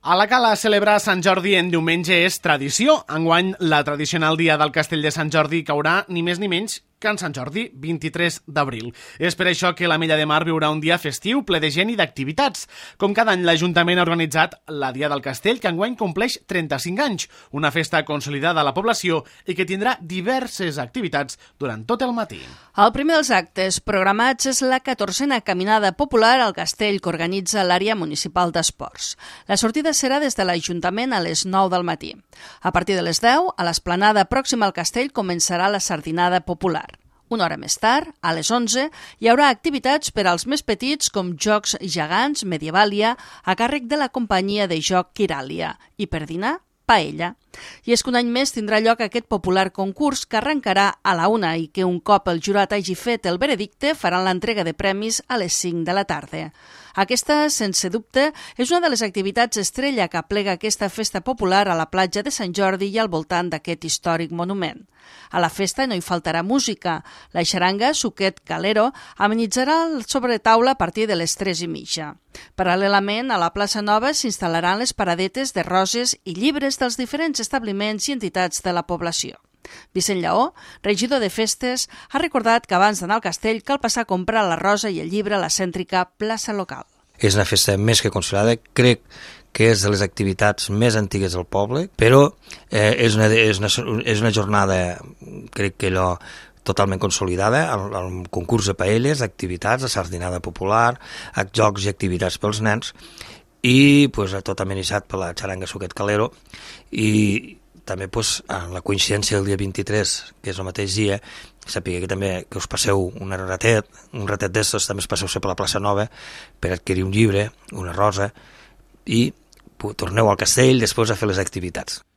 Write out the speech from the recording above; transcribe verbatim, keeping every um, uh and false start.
A la Cala celebrar Sant Jordi en diumenge és tradició. Enguany, la tradicional dia del Castell de Sant Jordi caurà ni més ni menys que en Sant Jordi, vint-i-tres d'abril. És per això que l'Ametlla de Mar viurà un dia festiu ple de gent i d'activitats. Com cada any, l'Ajuntament ha organitzat la Dia del Castell, que enguany compleix trenta-cinc anys, una festa consolidada a la població i que tindrà diverses activitats durant tot el matí. El primer dels actes programats és la catorzena caminada popular al castell que organitza l'àrea municipal d'esports. La sortida serà des de l'Ajuntament a les nou del matí. A partir de les deu, a l'esplanada pròxima al castell començarà la sardinada popular. Una hora més tard, a les onze, hi haurà activitats per als més petits com jocs gegants, Medievàlia, a càrrec de la companyia de joc Quiràlia, i per dinar, paella. I és que un any més tindrà lloc aquest popular concurs que arrencarà a la una i que un cop el jurat hagi fet el veredicte faran l'entrega de premis a les cinc de la tarda. Aquesta, sense dubte, és una de les activitats estrella que aplega aquesta festa popular a la platja de Sant Jordi i al voltant d'aquest històric monument. A la festa no hi faltarà música. La xaranga Suquet Calero amenitzarà el sobretaula a partir de les tres i mitja. Paral·lelament, a la plaça Nova s'instal·laran les paradetes de roses i llibres dels diferents establiments i entitats de la població. Vicent Lleó, regidor de festes, ha recordat que abans d'anar al castell cal passar a comprar la rosa i el llibre a la cèntrica plaça local. És una festa més que consolidada, crec que és de les activitats més antigues del poble, però eh, és, una, és, una, és una jornada, crec que allò, totalment consolidada, el, el concurs de paelles, activitats, la sardinada popular, jocs i activitats pels nens, i pues, tot amenitzat per la xaranga Suquet Calero, i també pues, en la coincidència del dia vint-i-tres, que és el mateix dia, sapigueu que també que us passeu un ratet, un ratet d'estos, també us passeu per la plaça Nova per adquirir un llibre, una rosa, i torneu al castell després a fer les activitats.